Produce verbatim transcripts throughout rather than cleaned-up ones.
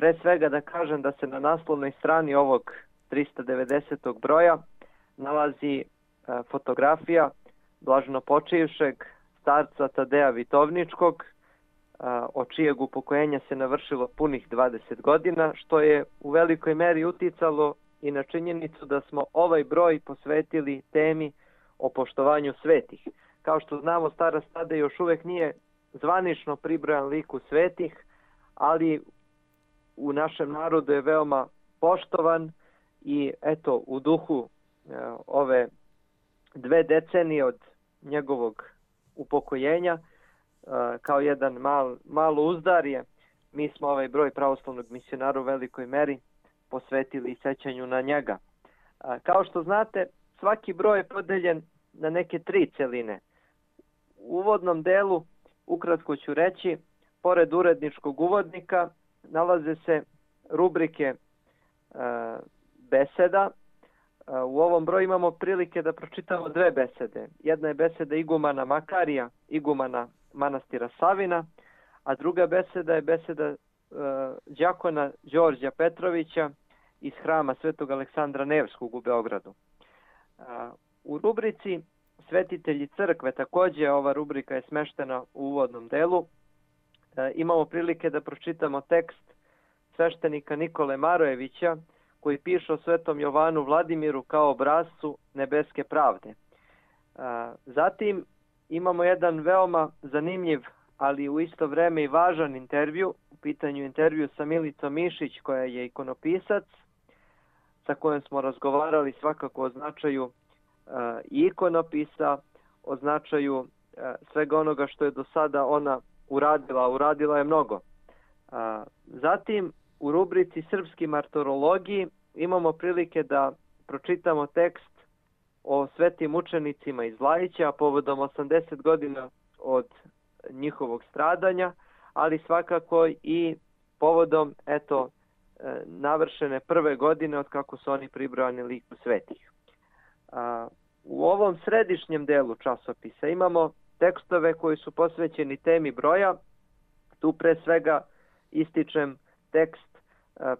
Pre svega da kažem da se na naslovnoj strani ovog trista devedesetog broja nalazi fotografija blaženopočivšeg starca Tadeja Vitovničkog, od čijeg upokojenja se navršilo punih dvadeset godina, što je u velikoj meri uticalo i na činjenicu da smo ovaj broj posvetili temi o poštovanju svetih. Kao što znamo, Stara Sada još uvek nije zvanično pribrojan liku svetih, ali u našem narodu je veoma poštovan i eto, u duhu e, ove dve decenije od njegovog upokojenja, e, kao jedan mal, malo uzdarje, mi smo ovaj broj pravoslavnog misionara u velikoj meri posvetili sećanju na njega. E, kao što znate, svaki broj je podeljen na neke tri celine. U uvodnom delu, ukratko ću reći, pored uredničkog uvodnika nalaze se rubrike e, beseda. E, u ovom broju imamo prilike da pročitamo dve besede. Jedna je beseda igumana Makarija, igumana manastira Savina, a druga beseda je beseda e, đakona Đorđa Petrovića iz hrama Svetog Aleksandra Nevskog u Beogradu. E, u rubrici Svetitelji crkve, takođe ova rubrika je smeštena u uvodnom delu, e, imamo prilike da pročitamo tekst sveštenika Nikole Marojevića koji piše o Svetom Jovanu Vladimiru kao obrazcu nebeske pravde. E, zatim imamo jedan veoma zanimljiv, ali u isto vreme i važan intervju, u pitanju intervju sa Milicom Mišić koja je ikonopisac, sa kojom smo razgovarali svakako o značaju i ikonopisa, o značaju svega onoga što je do sada ona uradila, uradila je mnogo. Zatim, u rubrici Srpski martorologiji imamo prilike da pročitamo tekst o svetim učenicima iz Lajića povodom osamdeset godina od njihovog stradanja, ali svakako i povodom eto navršene prve godine od kako su oni pribrojani liku svetih. U ovom središnjem delu časopisa imamo tekstove koji su posvećeni temi broja. Tu pre svega ističem tekst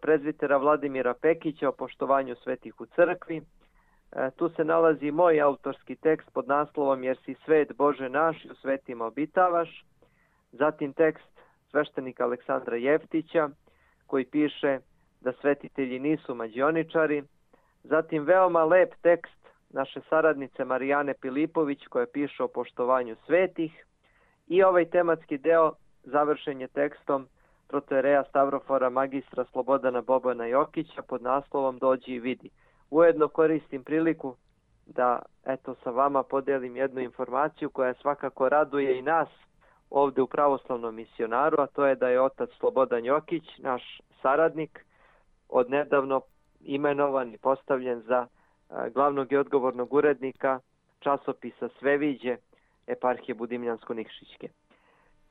prezbitera Vladimira Pekića o poštovanju svetih u crkvi. Tu se nalazi moj autorski tekst pod naslovom Jer si svet Bože naš i u svetima obitavaš. Zatim tekst sveštenika Aleksandra Jeftića koji piše da svetitelji nisu mađioničari. Zatim veoma lep tekst naše saradnice Marijane Pilipović koja piše o poštovanju svetih i ovaj tematski deo završen je tekstom protojereja Stavrofora magistra Slobodana Bobana Jokića pod naslovom Dođi i vidi. Ujedno koristim priliku da eto sa vama podelim jednu informaciju koja svakako raduje i nas ovde u Pravoslavnom misionaru, a to je da je otac Slobodan Jokić, naš saradnik, odnedavno imenovan i postavljen za glavnog i odgovornog urednika časopisa Sveviđe eparhije Budimljansko-Nikšićke.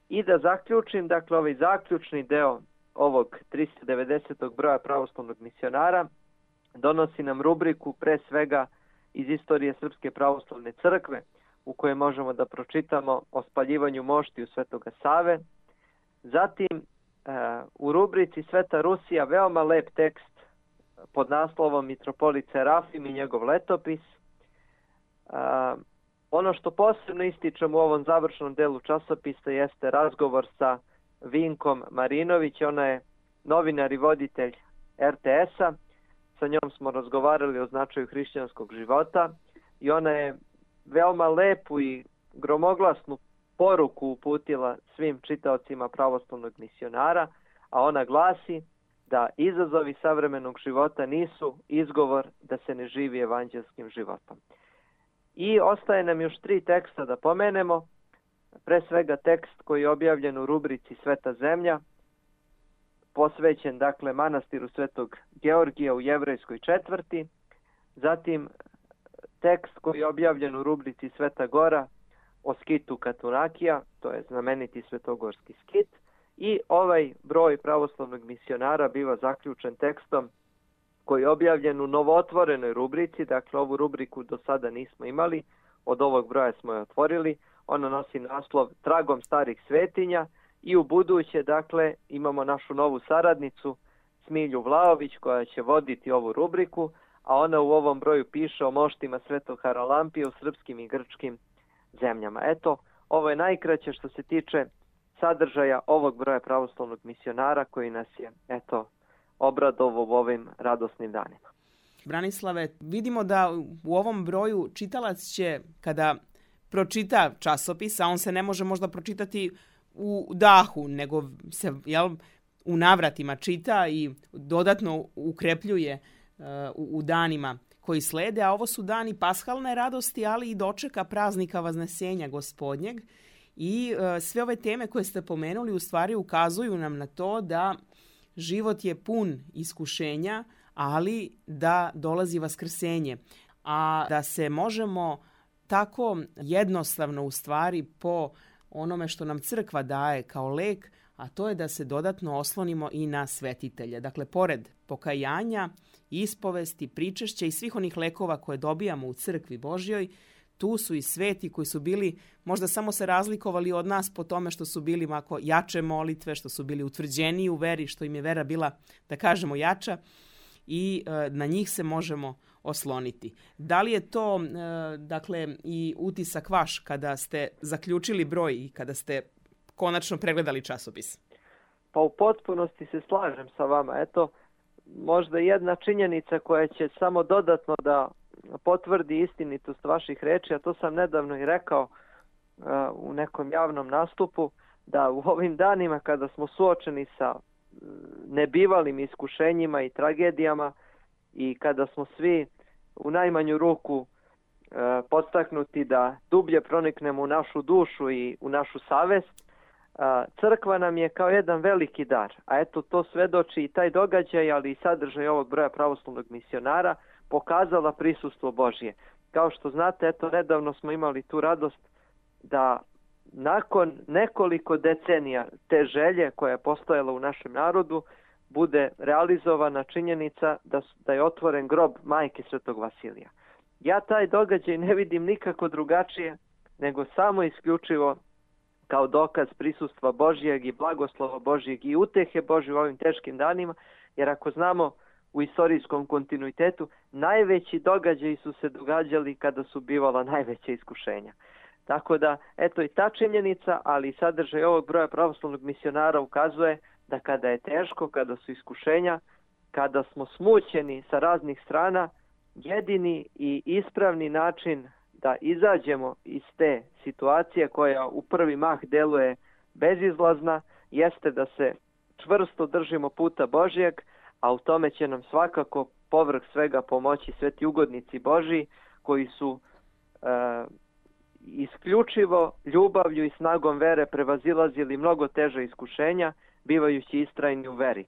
I da zaključim, dakle, ovaj zaključni deo ovog trista devedesetog broja pravoslavnog misionara donosi nam rubriku pre svega iz istorije Srpske pravoslavne crkve u kojoj možemo da pročitamo o spaljivanju moštiju Svetoga Save. Zatim u rubrici Sveta Rusija veoma lep tekst pod naslovom Mitropolit Serafim i njegov letopis. A, ono što posebno ističem u ovom završnom delu časopisa jeste razgovor sa Vinkom Marinović, ona je novinar i voditelj er te es-a. Sa njom smo razgovarali o značaju hrišćanskog života i ona je veoma lepu i gromoglasnu poruku uputila svim čitaocima pravoslavnog misionara, a ona glasi da izazovi savremenog života nisu izgovor da se ne živi evanđelskim životom. I ostaje nam još tri teksta da pomenemo. Pre svega tekst koji je objavljen u rubrici Sveta zemlja, posvećen dakle manastiru Svetog Georgija u Jevrejskoj četvrti. Zatim tekst koji je objavljen u rubrici Sveta Gora o skitu Katunakija, to je znameniti svetogorski skit. I ovaj broj pravoslavnog misionara biva zaključen tekstom koji je objavljen u novootvorenoj rubrici, dakle ovu rubriku do sada nismo imali, od ovog broja smo je otvorili, ona nosi naslov Tragom starih svetinja i u buduće, dakle, imamo našu novu saradnicu, Smilju Vlaović koja će voditi ovu rubriku, a ona u ovom broju piše o moštima Svetog Haralampija u srpskim i grčkim zemljama. Eto, ovo je najkraće što se tiče sadržaja ovog broja pravoslavnog misionara koji nas je, eto, obradovao u ovim radosnim danima. Branislave, vidimo da u ovom broju čitalac će, kada pročita časopis, a on se ne može možda pročitati u dahu, nego se, jel, u navratima čita i dodatno ukrepljuje uh, u, u danima koji slede, a ovo su dani pashalne radosti, ali i dočeka praznika Vaznesenja Gospodnjeg. I uh, sve ove teme koje ste pomenuli u stvari ukazuju nam na to da život je pun iskušenja, ali da dolazi vaskrsenje. A da se možemo tako jednostavno u stvari po onome što nam crkva daje kao lek, a to je da se dodatno oslonimo i na svetitelje. Dakle, pored pokajanja, ispovesti, pričešća i svih onih lekova koje dobijamo u crkvi Božjoj, tu su i sveti koji su bili, možda samo se razlikovali od nas po tome što su bili mako jače molitve, što su bili utvrđeniji u veri, što im je vera bila, da kažemo, jača i e, na njih se možemo osloniti. Da li je to, e, dakle, i utisak vaš kada ste zaključili broj i kada ste konačno pregledali časopis? Pa u potpunosti se slažem sa vama. Eto, možda jedna činjenica koja će samo dodatno da potvrdi istinitost vaših reči, a to sam nedavno i rekao uh, u nekom javnom nastupu, da u ovim danima kada smo suočeni sa nebivalim iskušenjima i tragedijama i kada smo svi u najmanju ruku uh, podstaknuti da dublje proniknemo u našu dušu i u našu savest, uh, crkva nam je kao jedan veliki dar. A eto, to svedoči i taj događaj, ali i sadržaj ovog broja pravoslavnog misionara, pokazala prisustvo Božje. Kao što znate, eto, nedavno smo imali tu radost da nakon nekoliko decenija te želje koja je postojala u našem narodu bude realizovana činjenica da, da je otvoren grob majke Svetog Vasilija. Ja taj događaj ne vidim nikako drugačije nego samo isključivo kao dokaz prisustva Božjeg i blagoslova Božjeg i utehe Božje u ovim teškim danima, jer ako znamo u istorijskom kontinuitetu, najveći događaji su se događali kada su bivala najveća iskušenja. Tako da, eto i ta činjenica, ali i sadržaj ovog broja pravoslavnog misionara ukazuje da kada je teško, kada su iskušenja, kada smo smućeni sa raznih strana, jedini i ispravni način da izađemo iz te situacije koja u prvi mah deluje bezizlazna, jeste da se čvrsto držimo puta Božjeg, a u tome će nam svakako povrh svega pomoći sveti ugodnici Božji koji su e, isključivo ljubavlju i snagom vere prevazilazili mnogo teže iskušenja, bivajući istrajni u veri.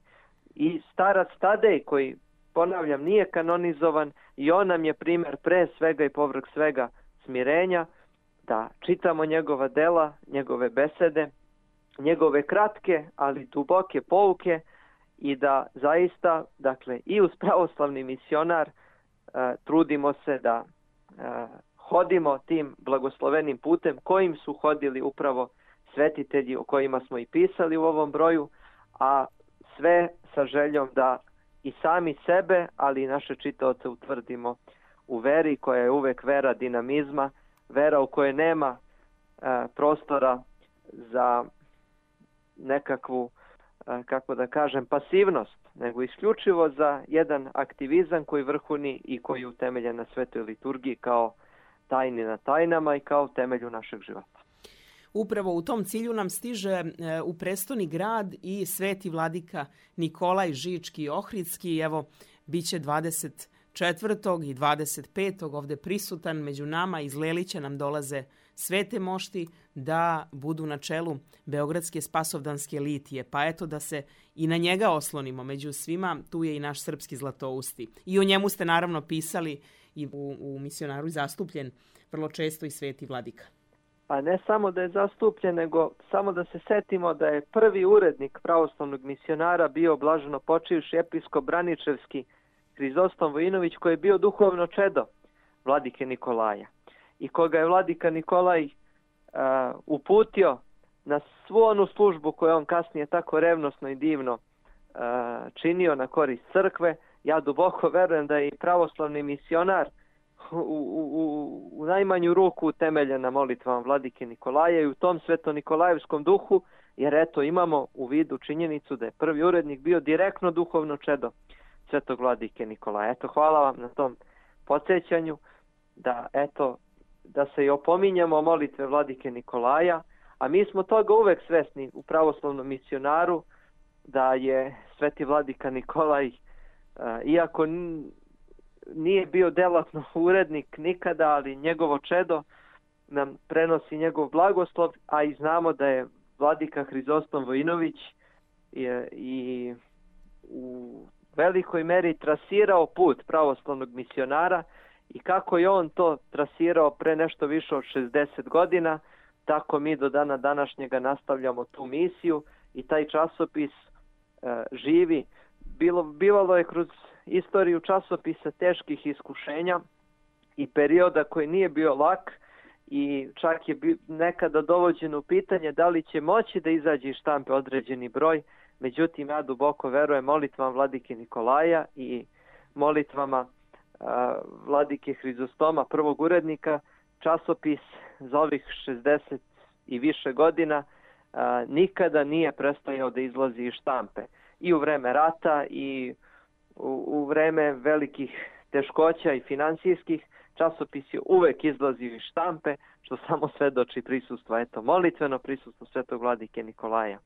I starac Tadej, koji, ponavljam, nije kanonizovan, i on nam je primjer pre svega i povrh svega smirenja, da čitamo njegova dela, njegove besede, njegove kratke, ali duboke pouke, i da zaista, dakle, i uz pravoslavni misionar e, trudimo se da e, hodimo tim blagoslovenim putem kojim su hodili upravo svetitelji o kojima smo i pisali u ovom broju, a sve sa željom da i sami sebe, ali i naše čitaoce utvrdimo u veri koja je uvek vera dinamizma, vera u kojoj nema e, prostora za nekakvu, e, kako da kažem, pasivnost, nego isključivo za jedan aktivizam koji vrhuni i koji je utemeljen na svetoj liturgiji kao tajni na tajnama i kao temelju našeg života. Upravo u tom cilju nam stiže u prestoni grad i sveti vladika Nikolaj Žički Ohridski. Evo, bit će dvadeset četvrtog i dvadeset petog ovde prisutan među nama. Iz Lelića nam dolaze svete mošti da budu na čelu Beogradske spasovdanske litije. Pa eto da se i na njega oslonimo. Među svima tu je i naš srpski Zlatousti. I o njemu ste naravno pisali i u, u misionaru zastupljen vrlo često i sveti vladika. Pa ne samo da je zastupljen, nego samo da se setimo da je prvi urednik pravoslavnog misionara bio blaženo počivši episkop Braničevski Hrizostom Vojinović, koji je bio duhovno čedo vladike Nikolaja i koga je vladika Nikolaj uh, uputio na svu onu službu koju on kasnije tako revnosno i divno činio na korist crkve. Ja duboko verujem da je i pravoslavni misionar u, u, u, u najmanju ruku utemeljen na molitvama vladike Nikolaja i u tom sveto-nikolajevskom duhu, jer eto imamo u vidu činjenicu da je prvi urednik bio direktno duhovno čedo svetog vladike Nikolaja. Eto, hvala vam na tom podsjećanju da eto da se i opominjamo molitve vladike Nikolaja, a mi smo toga uvek svesni u pravoslavnom misionaru da je sveti vladika Nikolaj, iako nije bio delatno urednik nikada, ali njegovo čedo nam prenosi njegov blagoslov, a i znamo da je vladika Hrizostom Vojinović i, i u velikoj meri trasirao put pravoslavnog misionara i kako je on to trasirao pre nešto više od šezdeset godina, tako mi do dana današnjega nastavljamo tu misiju i taj časopis e, živi. Bilo, bivalo je kroz istoriju časopisa teških iskušenja i perioda koji nije bio lak i čak je nekada dovođeno u pitanje da li će moći da izađe iz štampe određeni broj. Međutim, ja duboko verujem molitvama vladike Nikolaja i molitvama a, vladike Hrizostoma, prvog urednika, časopis za ovih šezdeset i više godina a, nikada nije prestajao da izlazi iz štampe. I u vreme rata i u, u vreme velikih teškoća i finansijskih, časopis je uvek izlazio iz štampe, što samo svedoči prisustvo, eto, molitveno prisustvo svetog vladike Nikolaja.